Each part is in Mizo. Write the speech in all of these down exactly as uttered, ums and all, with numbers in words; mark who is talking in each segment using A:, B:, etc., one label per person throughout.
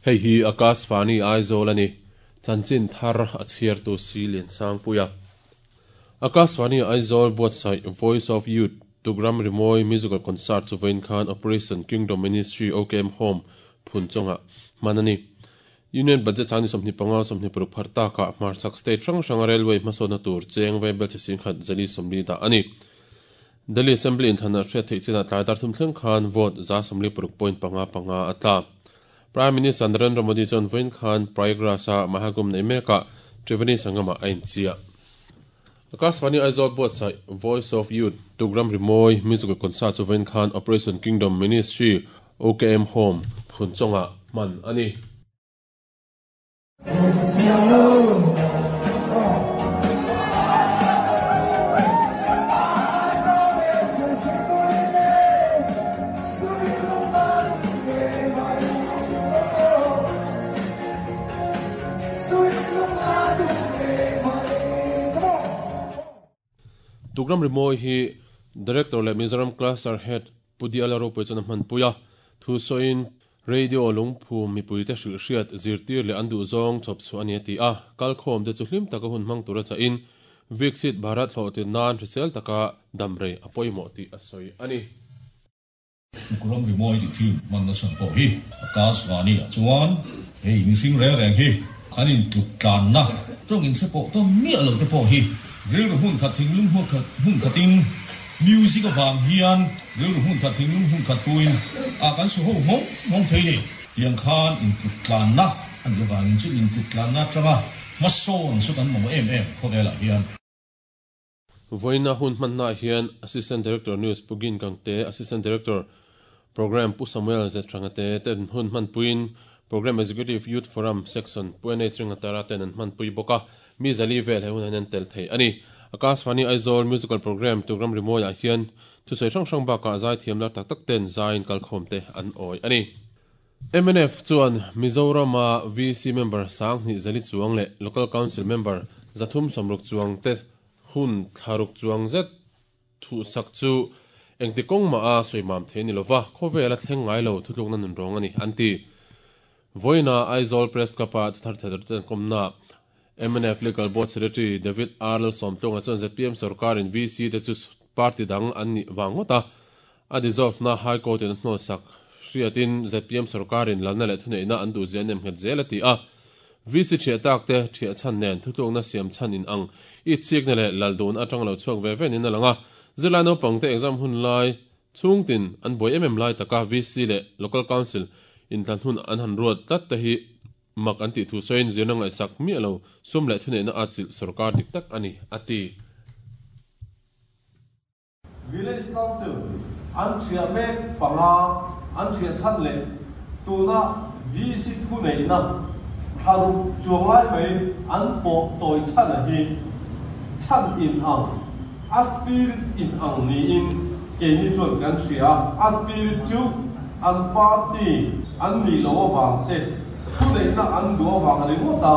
A: Hei hi Akashvani Aizawl ani chanchin thar a chhiar tu si lian sang puia Akashvani Aizawl buatsaih Voice of Youth Tugram Rimoi Musical Concert chu vawiin khan Operation Kingdom Ministry O K M Home phun chunga manani Union Budget chani sawmhnih panga sawmhnih paruk phar taka hmarchak state hrang hranga railway hmasawnna tur cheng vaibel che sing khat zali sawmli dah ani Delhi Assembly in thana hriat theih chinah tlai dar thum thleng khan vote za sawmli paruk point panga panga a tla Prime Minister Narendra Modi chuan vawiin khan Prayagraj-a Mahakumbh nei mekah Triveni Sangama a inchia. Akashvani Aizawl buatsaih Voice of Youth Tugram Rimoi Musical Concert chu vawiin khan Operation Kingdom Ministry O K M Home phun chungah hman a ni. Tugram Rimoi hi Director le Mizoram Cluster Head Pudiala Ropui chuan a hman puia thu sawiin radio lungphu mipuite hrilh hriat zirtir leh an duh zawng chawp chu ani a ti a kalkhawm te chu hlim taka hun hmang tura chahin Viksit Bharat hlawhtin nan hrisel taka damrei a pawimawh tih a sawi ani.
B: Tugram Rimoi ti team man na chan pawh hi Akashvani ah chuan hei mihring reng reng hi kan in tluk tlan na tawng in hre pawh tawn miah lo te pawh hi rilru hmun khat thinglung hmun khat hmun khatin music awang hian rilru hmun khat thinglung hmun khat puin a kan su ho hmawng hmawng thei ni tiang khan in tluk tlan na ani awangin chu in tluk tlan na tanga hmasawn chu kan mamawh em em khawvelah hian.
A: Vawiina hun hmanna hian Assistant Director News Pugin Gangte Assistant Director Program Pu Samuel Zetranga te ten hun hman puin Program Executive Youth Forum Section Pu N H Ringatara ten an hman pui bawk a mi zali vel he hun an tel thei ani Akashvani Aizawl Musical Program Tugram Rimoi ah hian thusawi hrang hrang bakah zai thiam lar tak tak ten zaiin kalkhawm te an awi ani. M N F chuan Mizorama V C member sang hnih zali chuang leh Local Council member zathum sawmruk chuang te hun thlaruk chuang zet thu sak chu engti kawng ma a sawi mam thei ni lova khawvel a thleng ngai lo thutlukna nun rawng ani an ti. Vawiina Aizawl Press Club ah thuthar thei ten kawmna M N F Legal Board Secretary David R L Sawmtlunga chuan Z P M sarkar in V C te chu party dang an ni wangawt a a dissolve na High Court in hnawl sak hriatin Z P M sarkar in lalna leh thuneihna an duh zia nem nghet zel a ti a V C thiah tak te thiah chan nen thutlukna siam chan in ang i chikna leh lal dun atang lo chhuak ve venin a langa zirlai naupang te exam hun lai chhungtin an buai em em lai taka V C leh Local Council in tlan hun an han ruat tlat te hi mak an ti thu sawiin zirna ngaihsak miah lo sum leh thuneihna a chilh sarkar dik tak ani a ti.
C: Village Council an thiah mek panga an thiah chan leh tuna V C thuneihna thlaruk chuang lai mai an pawh tawi chan a hi chan in ang a spirit in ang niin keini chuan kan hria a spirit chu an party an ni lo awang te thuneihna an duh awang ringawt a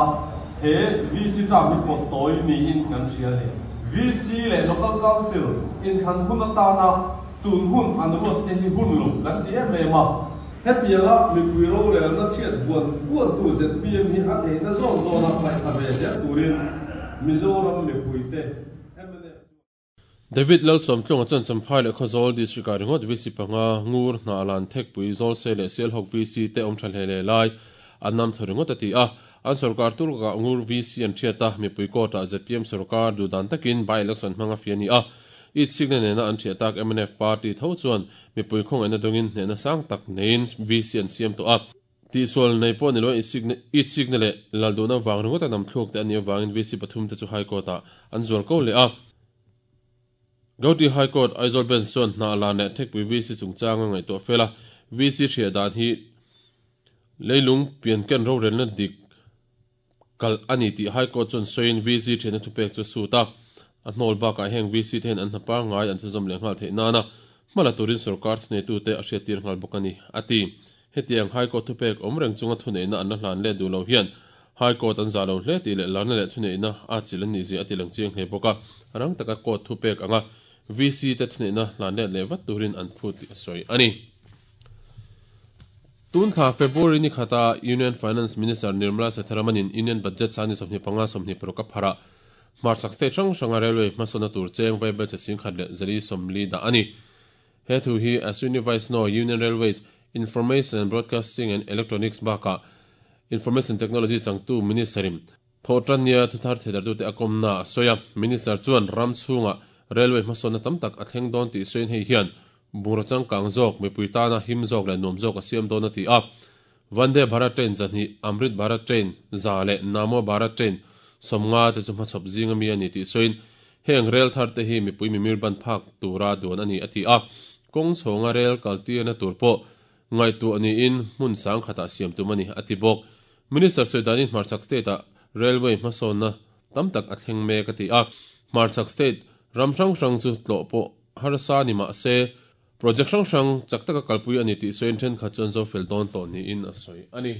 C: he V C cham hi pawh tawi niin kan hria ni. V C leh Local Council in thlan hun atana tun hun an ruat te hi hun lo kan ti em em a hetianga mipui rorelna thiat buan buan tu Z P M hi a theihna zawng zawna ngaihthla ve zel turin Mizoram mipui te M N F
A: David Lal Sawmtlunga chuan Champhai leh Khawzawl District ah ringawt V C panga ngur hna lan thekpui zawl se leh Sialhawk V C te awm tha hle le lai an nam thaw ringawt a ti a an sarkar turka ngur V C an thiat a mipui court ah Z P M sarkar dudan takin by election hmanga fi ani a i chikna nena an thiah tak M N F party tho chuan mipui khawng ena dawngin hnehna sang tak nein V C an siam tawh a ti sual nei pawh ni lo i chikna leh lal duhna wang ringawt a nam thluk te ani awangin V C pathum te chu High Court ah an zual ko leh a Gauti High Court Aizawl Bench chuan hna lan leh thekpui V C chungchanga ngaihtuah fela V C thiah dan hi leilung pian ken rorelna dik kal ani tih High Court chuan sawiin V C thiahna thupek chu suit a a hnawl bakah heng V C te hian an hnapa ngai an chuzawm leh nghal theih nana hmala turin sarkar thuneitu te a hriat tir nghal bawk ani a ti. Hetiang High Court thupek awm reng chunga thuneihna an la hlan le duh lo hian High Court an zalo hle ti le larna le thune ina a chilan ni zi ati lang chiang hle boka rang taka court thu pek anga V C te thune na hlan le le vat turin an phu ti soi ani. Tun kha February ni khata Union Finance Minister Nirmala Sitharaman in Union Budget sani somni panga somni proka phara Marsak State rang ranga railway masona tur cheng vai bel sing khat le zali somli da ani. He thu hi Ashwini Vaishnaw Union Railways Information and Broadcasting and Electronics baka Information Technology changtu ministerim thotania thuthar thedar tu te akomna soya minister chuan ram chunga railway masona tamtak athleng don ti sein hei hian burachang kang jok mipuita na him jok le nom jok asiam don ati a Vande Bharat train zani Amrit Bharat train zale Namo Bharat train somnga te chuma chop zinga mi ani ti soin heng rail thar te hi mipui mimir ban phak tura duan ani ati a kong chonga rail kalti na turpo ngai tu ani in mun sang khata siam tu mani ati bok minister soidani Marchak state a railway masona tamtak athleng me ka ti a Marchak state ramrang rang chu tlo po harsa ni ma se project rang rang chaktaka kalpui ani ti soin then kha chon zo fel don to ni in asoi ani.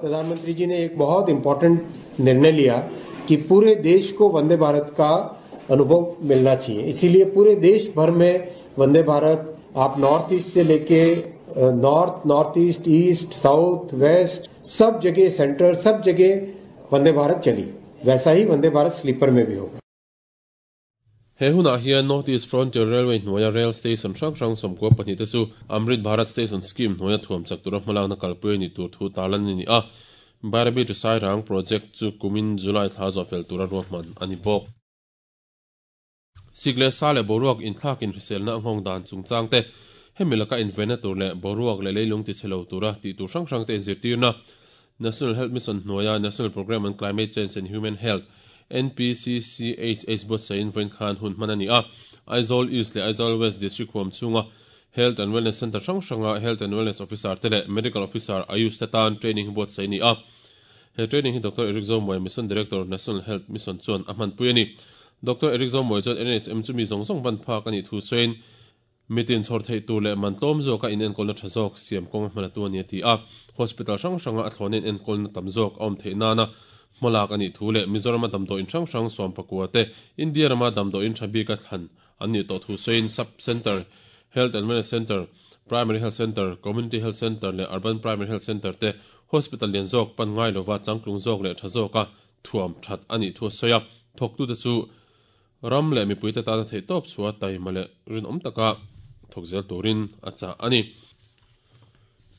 D: प्रधानमंत्री जी ने एक बहुत important निर्णय लिया कि पूरे देश को वंदे भारत का अनुभव मिलना चाहिए, इसीलिए पूरे देश भर में वंदे भारत आप नॉर्थ ईस्ट से लेके north, north east, east, south, west सब जगह, सेंटर सब जगह वंदे भारत चली। वैसा ही वंदे भारत स्लीपर में भी होगा।
A: He huna hian North East Frontier Railway hnuaia rail station hrang hrang sawmkua pahnih te chu Amrit Bharat Station Scheme hnuaia thuam chak tura hmalakna kalpui ni tur thu tarlan ni a Bairabi to Sairang project chu kumin July thla zawh fel tura ruahman ani bawk. Sikle sa le boruak inthlak in hriselna anghawng dan chungchang te hemi laka invena tur le boruak le leilung ti chhelo tura ti tur hrang hrang te zirtirna National Health Mission hnuaia National Programme on Climate Change and Human Health N P C C H H bot sain voin khan hun manani a Aizawl East le Aizawl West District huam chunga Health and Wellness Center hrang hranga Health and Wellness Officer te le Medical Officer Ayush te tan training bot saini a he training hi Doctor Eric Zomoy Mission Director National Health Mission chuan a hman pui ani. Doctor Eric Zomoy chuan N H M chu mi zawng zawng ban phak ani thu sain mitin chhor thei tur le mantlawm zawk a in enkawlna tha zawk siam kawng hmana tu ani ti a hospital hrang hranga a thlawnin enkawlna tam zawk a awm theih nana hmalak ani thu le Mizoram a damdaw in hrang hrang sawm pakua te India rama damdaw in tha bik a thlan an ni tawh thu sain sub center health and wellness center primary health center community health center le urban primary health center te hospital lian zawk pan ngai lova changtlung zawk le tha zawk a thuam that ani thu soya thok tu te chu ram le mipui te tana thei tawp chua taima le rinawm taka thok zel turin a cha ani.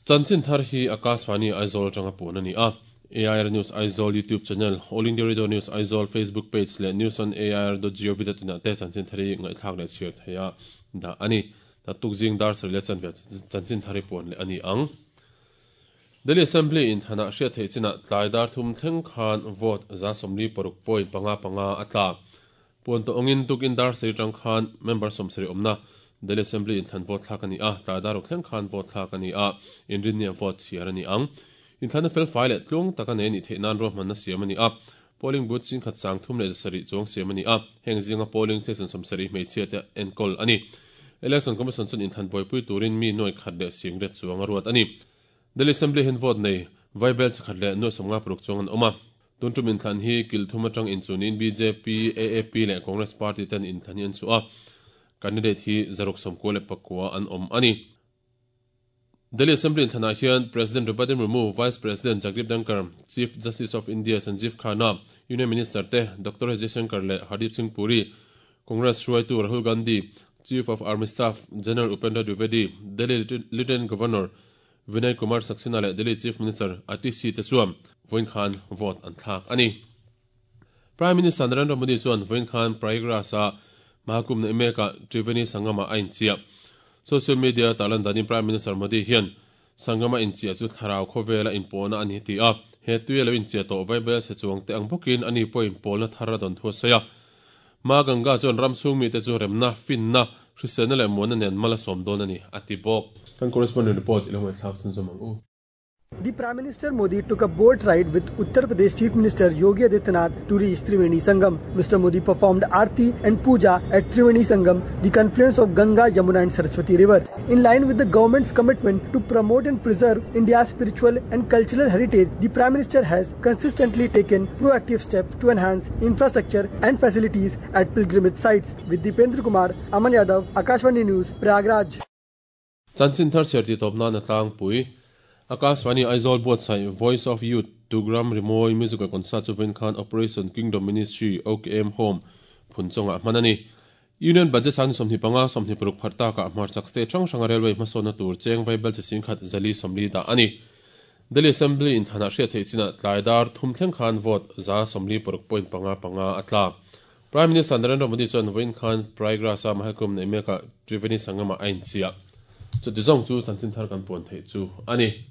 A: Chanchin thar hi Akashvani Aizawl tanga pun ani a A I R News Aizawl YouTube channel, All India Radio News Aizawl Facebook page le news on A I R dot gov dot in te chanchin thari ngai thlak le chhiar theia da ani. Ta tukjing dar sar le chan chanchin thari pun le ani ang. Delhi Assembly in thana hria thei china tlai dar thum thleng khan vote za somli paruk point panga panga atla pun to ongin tukin dar sei tang khan member somsari omna Delhi Assembly in than vote thlak ani a tlai dar thleng khan vote thlak ani a inrinia vote chiar ani ang. In thana fel file tlung taka nei ni theinan ro hmanna siam ani a polling booth chin khat sang thum le sari chong siam ani a heng zinga polling station somsari hmeichhia te enkol ani. Election Commission chun in than boipui turin mi noi khat le sing re chuang ruat ani. Delhi Assembly hin vote nei vaibel chakhat le no somnga pruk chong an oma tun tum in thlan hi kil thuma tang in chunin B J P A A P le Congress Party ten in thlan hian chu a candidate hi zaruk somko le pakwa an om ani. Delhi Assembly in thana hian President Draupadi Murmu, Vice President Jagdeep Dhankhar, Chief Justice of India Sanjeev Khanna, Union Minister te Doctor Jaishankar le Hardeep Singh Puri, Congress hruaitu Rahul Gandhi, Chief of Army Staff General Upendra Dwivedi, Delhi Lieutenant Governor Vinay Kumar Saxena le Delhi Chief Minister Atishi te chuan voin khan vote an thlak ani. Prime Minister Narendra Modi chuan voin khan Prayagraj a Mahakumbh na meka Triveni Sangama a inchia. Social media talan dani Prime Minister Modi hian Sangama inchia chu tharau khawvela inpawna ani ti a he tuia lo inchia tawh vaibel se chuang te ang bawkin ani pawh inpawlna thar a dawn thu a sawi a. Ma Ganga chuan ram chhung mi te chu remna finna hriselna leh muanna nen mala sawm dawn ani ati bawk. Kan correspondent report ilo ngai thlak chun zawm ang u.
E: The Prime Minister Modi took a boat ride with Uttar Pradesh Chief Minister Yogi Adityanath to reach Triveni Sangam. Mister Modi performed Aarti and Puja at Triveni Sangam, the confluence of Ganga, Yamuna and Saraswati River. In line with the government's commitment to promote and preserve India's spiritual and cultural heritage, the Prime Minister has consistently taken proactive steps to enhance infrastructure and facilities at pilgrimage sites. With Dipendra Kumar, Aman Yadav, Akashvani News, Prayagraj.
A: Chanchin thar cher ti topna na tlang pui. Akashvani Aizawl buatsaih Voice of Youth Tugram Rimawi Musical Concert chu vawiin khan Operation Kingdom Ministry O K M Home phun chungah hman a ni. Union Budget sang sawmhnih panga sawmhnih paruk phar takah hmarchak state hrang hranga railway hmasawnna tur cheng vaibel chi sing khat zali sawmli dah a ni. Delhi Assembly in thanah hriat theih chinah tlai dar thum thleng khan vote za sawmli paruk point panga panga a tla. Prime Minister Narendra Modi chuan vawiin khan Prayagraj-a Mahakumbh nei mekah Triveni Sangama a inchhiah. Chuti zawng chu chanchin thar kan puan theih chu a ni.